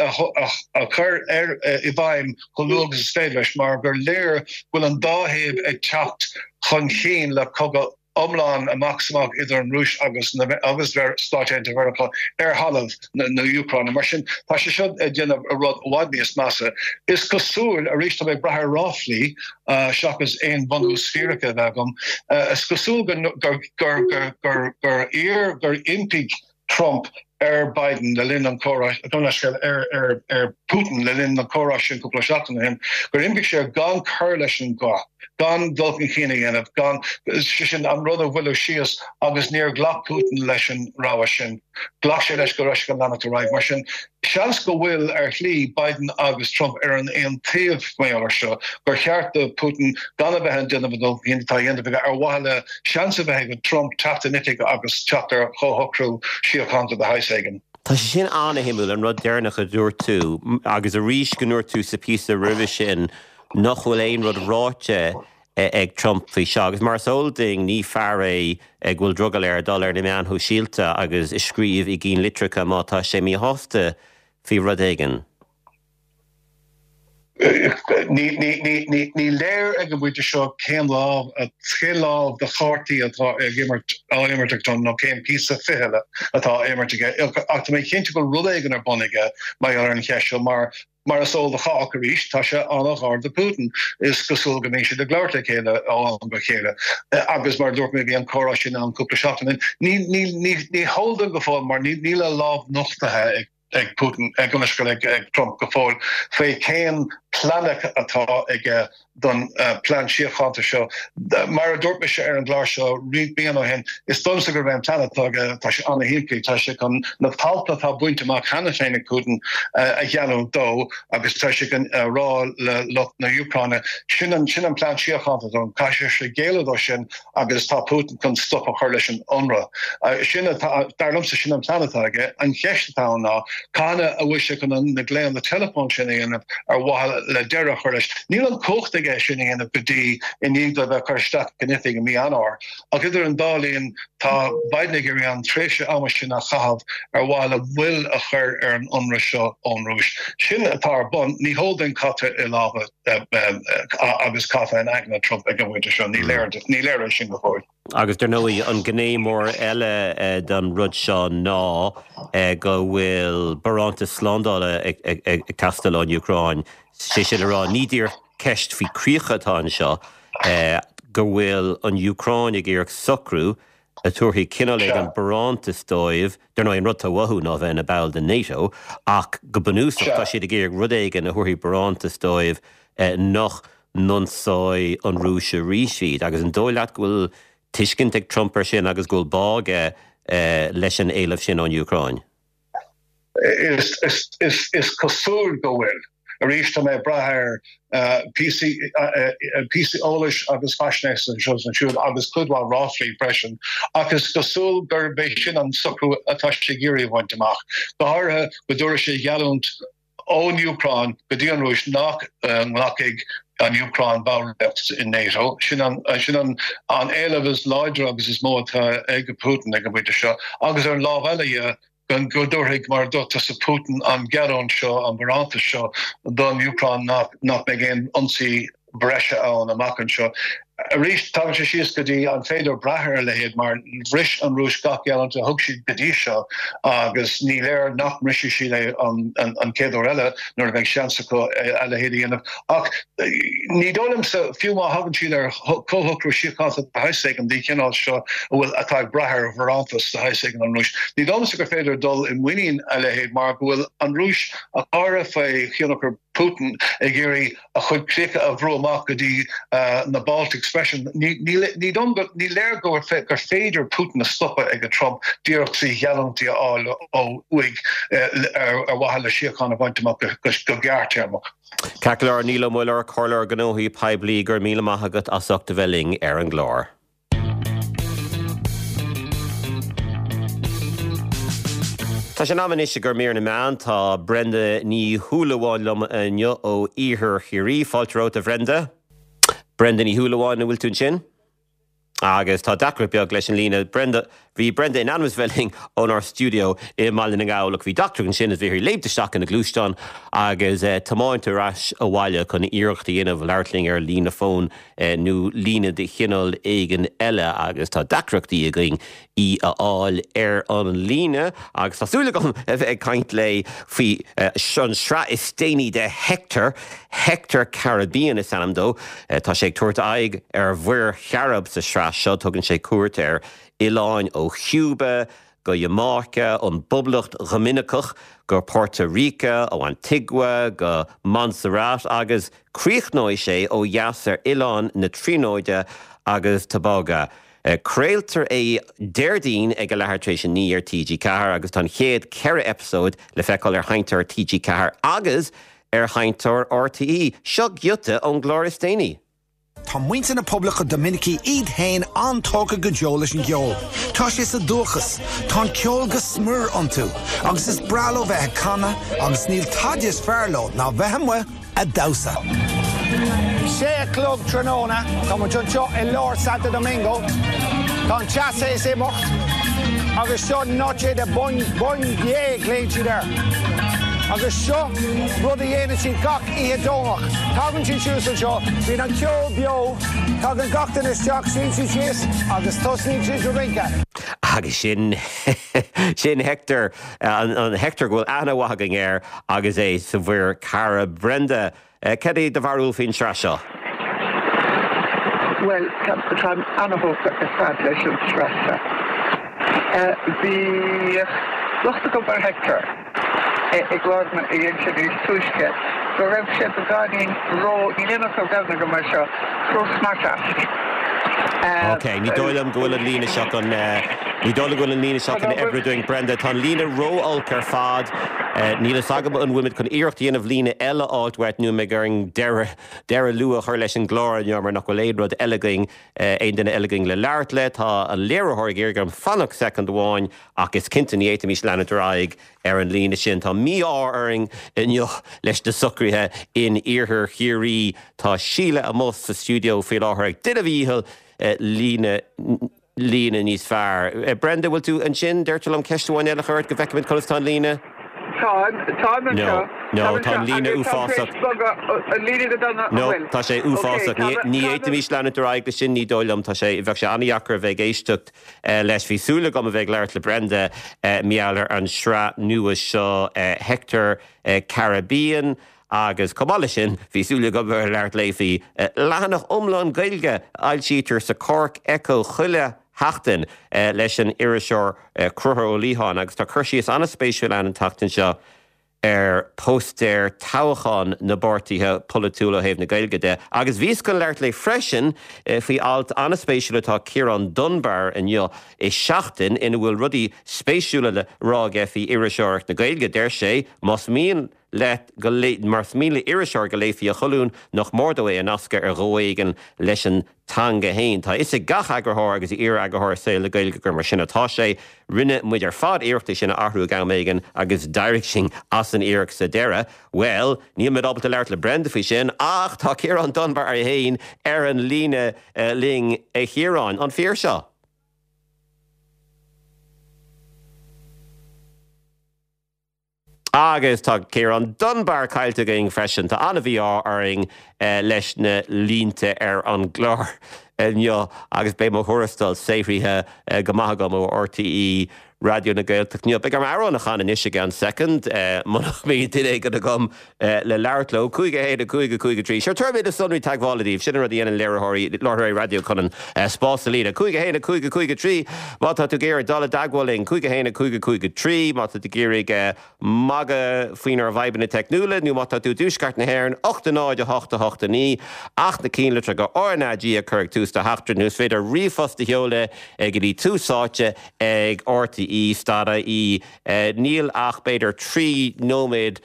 a chur ar, i bhfeidhm chomh luath agus is féidir leis, mar gur léir go bhfuil an dá thaobh ag teacht chun cinn le cogadh iomlán amach is amach idir an Rúis agus agus Stáit Aontaithe Mheiriceá ar thalamh na hÚcráine. Mar sin, tá sé seo ag déanamh rud i bhfad níos measa. Is cosúil, arís tá mé ag brath ar ráflaí seachas aon bhunús fírice a bheith agam, is cosúil gur gur gur gur iarr gur impigh Trump ar Biden le linn an chomhrá, gabh mo leithscéal, ar ar Putin le linn an chomhrá sin cúpla seachtain ó shin, gur impigh sé air gan cur leis an gcath, gan dul chun cinn a dhéanamh, gan, sé sin, an rud a mhoilliú síos agus níor ghlac Putin leis an rogha sin. Ghlac sé leis go raibh sé chun leanacht ar aghaidh. Mar sin, seans go bhfuil, ar shlí, Biden agus Trump ar an aon taobh mar gheall air seo, gur cheart do Putin gan a bheith ag déanamh an dul chun cinn atá á dhéanamh aige ar mhaithe le seans a bheith ag Trump teacht in oifig agus teacht ar chomhshocrú síochánta de shaghas éigin. Tá sé sin an-shuimiúil, an rud deireanach a dúirt tú, agus arís go ndúirt tú sa phíosa roimhe sin nach bhfuil aon rud ráite ag Trump faoi seo. Agus mar is eol duinn, ní fear é go bhfuil drogall air dul ar na meáin shóisialta agus a scríobh i gcinn litreacha má tá sé míshásta faoi rud éigin. Ní léir ag an bpointe seo cén lámh, cén lámh de chártaí atá ag imirt, á imirt ag Trump nó cén píosa fichille atá á imirt aige ach tá mé cinnte go bhfuil rud éigin ar bun aige mar gheall ar an cheist seo mar, mar is eol do chách arís, tá sé an-ghar do Putin. Is cosúil go mbíonn siad ag labhairt le chéile ó am go chéile agus mar a dúirt mé bhí an comhrá sin ann cúpla seachtain ó shin. Ní heol dúinn go fóill mar níl a lámh nochtaithe ag ag Putin, ag an ag Trump go fóill faoi cén plean atá aige don plean síochánta seo. Mar a dúirt mise ar an gclár seo roinnt bliana ó shin, is dóigh liomsa gurb é an plean atá aige, tá sé an-shimplí, tá sé chun na tailte atá bainte amach cheana féin ag Putin a gheallúint dó agus tá sé chun a rá le lucht na hÚcráine, sin an sin an plean síochánta dom, caithfidh sé géilleadh dó sin agus tá Putin chun stop a chur leis an ionradh. Sin atá, dar liomsa, sin an plean atá aige. An cheist atá ann ná, cathain a bhfuil sé chun na glaonna teileafóin sin a dhéanamh ar mhaithe le deireadh a chur leis? Níl an chumhacht aige. aige é sin a dhéanamh go dtí i ndiaidh dó a bheith curtha isteach in oifig i mí Eanáir. Ach idir an dá linn, tá Biden ag iarraidh an tréimhse ama sin a chaitheamh ar mhaithe le moill a chur ar an ionradh seo ón Rúis. Sin atá ar bun. Ní heol duinn cad tá i lámha agus cad tá in aigne Trump ag an bpointe seo. Ní léir, ní léir é sin go fóill. Agus dar ndóigh, an gné mór eile den rud seo ná go bhfuil barántas slándála ag teastáil ón Úcráin. Sé sin le rá, ní díreach ceist faoi críocha atá anseo, go bhfuil an Úcráin ag iarraidh socrú a thabharfaidh cineál éigin barántas dóibh, dar ndóigh an rud atá uathu ná bheith ina ball de NATO, ach go bunúsach tá siad ag iarraidh rud éigin a thabharfaidh barántas dóibh nach n-ionsóidh an Rúis arís iad. Agus an dóigh leat go bhfuil tuiscint ag Trump air sin agus go bhfuil bá aige leis an éileamh sin ón Úcráin? Is cosúil go bhfuil. Arís, tá mé ag brath ar phíosaí eolais agus faisnéise anseo is ansiúd agus cuid mhaith ráflaí freisin, ach is cosúil gurb é sin an socrú atá sé ag iarraidh a bhaint amach, go háirithe go dtabharfaidh sé geallúint ón Úcráin go dtí an Rúis nach nglacfaidh an Úcráin ballraíocht in NATO. Sin an an éileamh is láidre agus is mó atá ag Putin ag an bpointe seo. Agus ar an lámh eile dhe, go dtabharfaidh, mar a dúirt tusa, Putin an gheallúint seo, an barántas seo don Úcráin nach mbeidh aon ionsaí breise ann amach anseo. Arís, tagann sé síos go dtí an féidir brath ar a leithéid mar bhris an Rúis gach geallúint a thug siad go dtí seo agus ní léir nach mbrisfidh siad é an chéad uair eile nuair a bheidh seans acu a leithéid a dhéanamh. Ach ní dóigh liomsa, fiú má thagann siad ar chomhshocrú síochánta de shaghas éigin den chineál seo a bhfuil atá ag brath ar bharántas de shaghas éigin ón Rúis, ní dóigh liomsa gur féidir dul i muinín a leithéid mar go bhfuil an Rúis, ach go háirithe faoi thionchar Putin, ag iarraidh a chuid críocha a bhrú amach go dtí na Baltics freisin. Ní léir gur féidir Putin a stopadh ag Trump díreach trí gheallúintí a fháil ó uaidh ar mhaithe le síocháin a bhaint amach go gearrthéarmach. Ceart go leor, Niall Ó Muilleoir, Comhairleoir Gnóthaí Poiblí, go raibh míle maith agat as ucht a bheith linn ar an gclár. Tá sé in am anois i gcomhair mír na meán. Tá Brenda Ní Shúilleabháin liom inniu ó Iarthar Chiarraí. Fáilte romhat, a Bhrenda. Brenda Ní Shúilleabháin, an bhfuil tú ansin? Agus tá deacracht beag leis an líne. Brenda, bhí Brenda in ainm is bheith linn ónár stiúideo i mBaile na nGall ach bhí deacracht ansin is bhí uirthi léimt isteach ina gluaisteán agus tiomáint ar ais abhaile chun iarracht a dhéanamh labhairt linn ar líne fóin nó líne de chineál éigin eile agus tá deacrachtaí againn í a fháil ar an líne agus tá súil agam a bheith ag caint léi faoi an sraith is déanaí de Hector, Hector Caribbean is ainm dó. Tá sé ag tabhairt aghaidh ar Mhuir Chairib sa sraith seo, tugann sé cuairt ar oileáin ó Chúba go Iamáice, ón bPoblacht Dhoiminiceach go Porto Rica, ó Antigua go Montserrat agus críochnóidh sé ó dheas ar Oileán na Tríonóide agus Tobago. Craoltar é Déardaoin ag a leathuair tar éis a 9 ar TG4 agus tá an chéad 4 eipeasóid le feiceáil ar sheinnteoir TG4 agus ar sheinnteoir RTÉ. Seo giota ón gclár is déanaí. Tá muintir na Poblachta Doiminicí iad féin an-tógtha go deo leis an gceol. Tá sé sa dúchas. Tá an ceol go smior iontu agus is breá leo bheith ag canadh agus níl tada is fearr leo ná bheith amuigh a' damhsa. Sé a chlog tráthnóna, tá muid anseo i lár Santo Domingo. Tá an teas théis imeacht agus seo Noche de Bon Bondye, glaonn siad air. Agus seo rud a dhéanann siad gach oíche Domhnach. Tagann siad suas anseo, bíonn an ceol beo, tagann gach duine isteach, suíonn siad síos agus tosnaíonn siad ag rince. Agus sin, sin Hector, an Hector go bhfuil aithne mhaith againn air agus é sa Mhuir Chairib. Brenda, cad é do bharúil faoin tsraith seo? Bhuel, táim an-thógtha ar fad leis an tsraith seo. Bhí locht agam ar Hector. i gclár a dhein sé níos túisce, go raibh sé beagáinín ró, níl aon fhocal Gaelainne agam air seo, ró smart-ass. Ok, ní dóigh liom go bhfuil an líne seo chun, ní dóigh liom go bhfuil an líne seo chun oibriú dúinn, Brenda. Tá an líne ró-olc ar fad. Níl fhios agam an bhfuil muid chun iarracht a dhéanamh líne eile a fháilt uait nó an mbeidh orainn deireadh, deireadh luath a chur leis an gclár inniu mar nach bhfuil aon rud eile againn, aon duine eile againn le labhairt le. Tá an léiritheoir ag iarraidh orm fanacht soicind amháin ach is cinnte ní fhéadfaimis leanúint ar aghaidh ar an líne sin. Tá mí-ádh orainn inniu leis na socruithe in iarthar Chiarraí. Tá Síle amuigh sa stiúideo faoi láthair ag déanamh a dhícheall líne líne níos fearr. Brenda, bhfuil tú ansin? Deirtear liom ceist amháin eile a chur ort go bhfeicfimid conas tá an líne. Táim, táim anseo. No, no, tá an líne uafásach. An líne go dona, an No, tá sé uafásach. Ní fhéadfaimis leanúint ar aghaidh leis sin, ní dóigh liom. Tá sé, bheadh sé an-dheacair a bheith ag éisteacht leis. Bhí súil agam a bheith ag labhairt le Brenda mar gheall ar an sraith nua seo, Hector Caribbean. Agus chomh maith leis sin, bhí súil agam a bheith ag labhairt léi faoi leathanach iomlán Gaeilge a fhoilsítear sa Cork Echo chuile sheachtain leis an iriseoir Conchúr Ó Liatháin agus tá cur síos an-spéisiúil ann an tseachtain seo ar póstaeir toghcháin na bpáirtithe polaitiúla ó thaobh na Gaeilge de. Agus bhíos chun labhairt léi freisin faoi alt an-spéisiúil atá Ciarán Dunbar inniu i Seachtain ina bhfuil rudaí spéisiúla le rá aige faoi iriseoireacht na Gaeilge. Deir sé, más mian leat go más mian le iriseoir go léifí a cholún, nach mór dó é a nascadh ar dhóigh éigin leis an teanga fhéin. Tá a fhios ag gach eagarthóir agus iar-eagarthóir i saol na Gaeilge gur mar sin atá sé. Rinne muid ar fad iarracht é sin a athrú ag am éigin agus d'éirigh sinn as an iarracht sa deireadh. Bhuel, níl muid ábalta labhairt le Brenda faoi sin ach tá Ciarán Dunbar é fhéin ar an líne linn. A Chiaráin, an fíor seo? Agus tá Ciarán Dunbar caillte againn freisin. Tá an-mhí-ádh orainn leis na línte ar an gclár inniu agus beidh mo thuarastal saothraithe go maith agam ó RTÉ Raidió na Gaeltachta inniu. Beidh orm amhrán a chanadh anois i gceann soicind muna mbíonn duine éigin agam le labhairt leo. 5, 1, 5, 5, 3. Sure, tabharfaidh mé na sonraí teagmhála daoibh. Sin an rud a dhéanann léiritheoirí, láithreoirí raidió chun an spás a líonadh. 5, 1, 5, 5, 3. Má tá tú ag iarraidh dul i dteagmháil linn, 5, 1, 5, 5, 3. Má tá tú ag iarraidh magadh faoinár bhfadhbanna teicniúla nó má tá tú i dtuaisceart na hÉireann, 8, 0, 8, 8, 9. Ach na cinnlitreacha RnaG a chur ag tús do theachtaireacht nó is féidir ríomhphost a sheoladh go dtí Tús Áite ag RTÉ stad IE. Níl ach b'fhéidir 3 nóiméad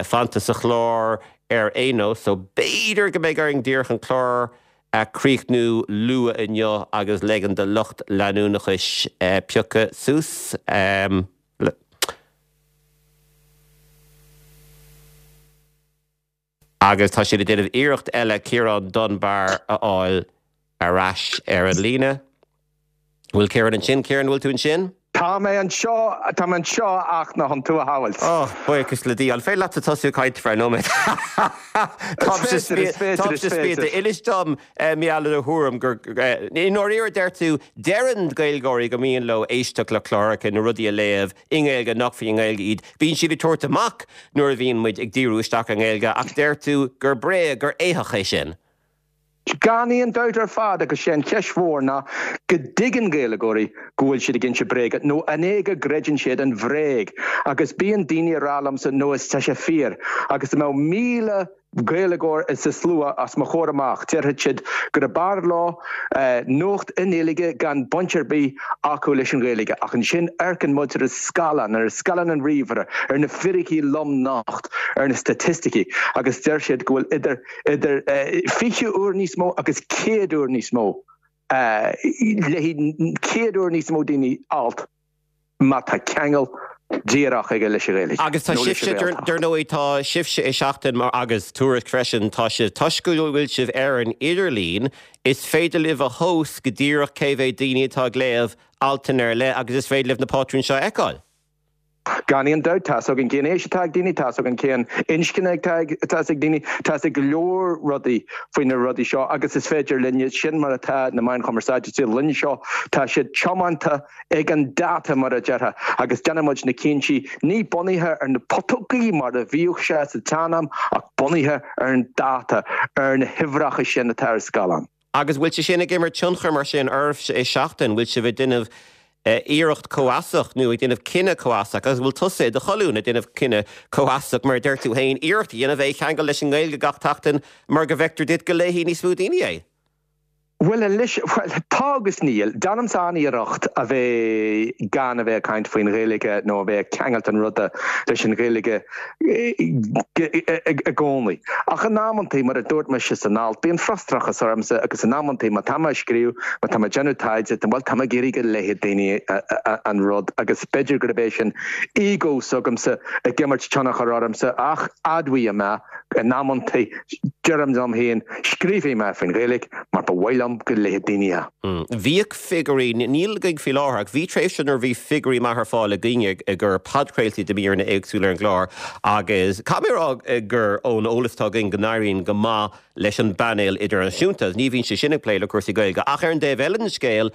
fanta sa chlár ar aon nós, so b'fhéidir go mbeidh orainn díreach an clár a chríochnú luath inniu agus ligean do lucht leanúnachais piocadh suas. Agus tá siad ag déanamh iarracht eile Ciarán Dunbar a fháil ar ais ar an líne. Bhfuil Ciarán ansin? Ciarán, bhfuil tú ansin? Tá mé anseo, tá mé anseo ach ná chun tú a shamhailt. Oh, buíochas le Dia. An féidir leatsa tosú ag caint ar feadh nóiméad? Is féidir, is féidir, is féidir. Inis dom, mar gheall ar do thuairim gur, i ndáiríre deir tú, deireann Gaeilgeoirí go mian leo éisteacht le cláracha nó rudaí a léamh i nGaeilge nach faoin nGaeilge iad. Bíonn siad ag tabhairt amach nuair a bhíonn muid ag díriú isteach ar an nGaeilge ach deir tú gur bréag, gur éitheach é sin. Gan aon dabht ar fad agus sé an cheist mhór ná go dtuigeann Gaeilgeoirí go bhfuil siad ag inse bréige nó an é go gcreideann siad an bhréag agus bíonn daoine ag rá liomsa no is tá sé fíor agus dá mbeadh 1,000 Gaeilgeoir sa slua os mo chomhair amach. Déarfaidh siad gurb fhearr leo nuacht i nGaeilge gan baint ar bith acu leis an Ghaeilge. Ach ansin amharcann muid ar an scáileán, ar scáileán an ríomhaire, ar na fíricí lom nocht, ar na staitisticí agus deir siad go bhfuil idir idir 20 uair níos mó agus 100 uair níos mó, léifidh 100 uair níos mó daoine alt. má tá ceangal díreach aige leis an Ghaeilge Agus tá nó leis sibhse, an Ghaeltacht. dar ndóigh, tá sibhse i Seachtain mar agus Tuairisc freisin, tá sibh, toisc go bhfuil sibh ar an idirlíon, is féidir libh a thomhas go díreach cé mhéad daoine atá ag léamh altanna ar leith agus is féidir libh na pátrúin seo a fheiceáil. Gan aon dabht, tá 'fhios againn cén aois atá ag daoine, tá 'fhios againn cén inscne atá ag atá ag daoine, tá 'fhios ag go leor rudaí faoi na rudaí seo agus is féidir linne, sin mar atá na meáin chumarsáide sa linne seo, tá siad tiomanta ag an data mar a déarfá agus déanann muid na cinntí ní bunaithe ar na putógaí mar a bhíodh sé sa tsean-am ach bunaithe ar an data, ar na huimhreacha sin atá ar scáileán. Agus bhfuil sé sin ag imirt tionchar mar sin oraibhse i Seachtain? Bhfuil sibh ag déanamh iarracht comhfheasach nó ag déanamh cinneadh comhfheasach agus bhfuil tusa i do cholún ag déanamh cinneadh comhfheasach mar a deir tú féin, iarracht a dhéanamh é a cheangal leis an nGaeilge gach tseachtain mar go bhfeictear duit go léifidh níos mó daoine é? Bhuel anois, bhuel, tá agus níl. Déanaimse an-iarracht a bheith gan a bheith ag caint faoin Ghaeilge nó a bheith ag ceangailt an ruda leis an Ghaeilge i gcónaí. Ach in amantaí, mar a dúirt mise san alt, bíonn frustrachas ormsa agus in amantaí má tá mé ag scríobh, má tá mé ag déanamh taighde, bhuel, tá mé ag iarraidh go léifidh daoine an rud agus b'fhéidir gurb é sin ego s'agamsa ag imirt tionchar ormsa ach admhaím mé in amantaí, deirim liom féin, scríobhfaidh mé faoin Ghaeilge mar ba mhaith liom go léifidh daoine é. Bhíodh figiúirí, níl againn faoi láthair, ach bhí tréimhse nuair a bhí figiúirí maithe ar fáil againn i gcomhair podchraoltaí de mhíreanna éagsúla ar an gclár agus caithfidh mé a rá gur ón eolas atá againn go n-éiríonn go maith leis an bpainéal idirnáisiúnta. Ní bhíonn sé sin ag plé le cúrsaí Gaeilge ach ar an dtaobh eile den scéal,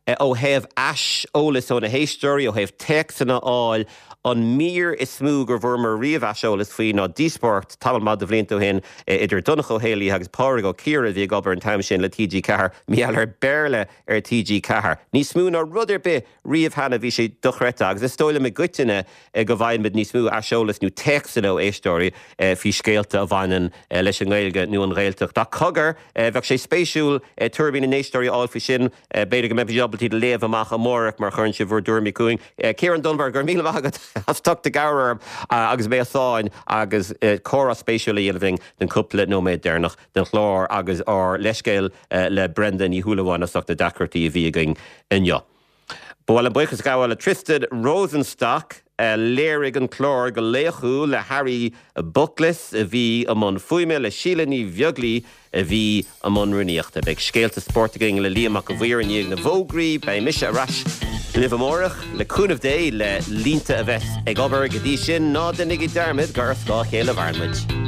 ó thaobh aiseolas ó na héisteoirí, ó thaobh téacsanna a fháil, an mír is mó gur bhfuaireamar riamh aiseolas faoi ná díospóireacht tamall maith de bhlianta ó shin idir Donncha Ó Héalaí agus Pádraig Ó Ciardha a bhí ag obair an t-am sin le TG4, mar gheall ar Béarla ar TG4. Níos mó ná rud ar bith riamh cheana bhí sé dochreidte agus is dóigh liom i gcoitinne go bhfaighimid níos mó aiseolas nó téacsanna ó éisteoirí faoi scéalta a bhaineann leis an nGaeilge nó an Ghaeltacht. Ach cogar, bheadh sé spéisiúil tuairimí na n-éisteoirí a fháil faoi sin. B'fhéidir go mbeimid ábalta iad a léamh amach amárach mar a chuireann sibh bhur dtuairimí chugainn. Ciarán Dunbar, go raibh míle maith agat as ucht do chabhair orm agus mé i sáinn agus comhrá spéisiúil a dhéanamh linn don chúpla nóiméad deireanach den chlár agus ár leithscéal le Brenda Ní Shúilleabháin as ucht na deacrachtaí a bhí againn inniu. Ba mhaith liom buíochas a ghabháil le Tristan Rosenstock a léirigh an clár go laochúil, le Harry Bookless a bhí i mbun fuaime, le Síle Ní Bheaglaoi a bhí i mbun rúnaíochta. Beidh scéalta spóirt againn le Liam Mac an Mhaoir i ndiaidh na bhfógraí. Beidh mise ar ais libh amárach, le cúnamh Dé, le línte a bheith ag obair. Go dtí sin, ná déanaigí dearmad gur ar scáth a chéile a mhaireann muid.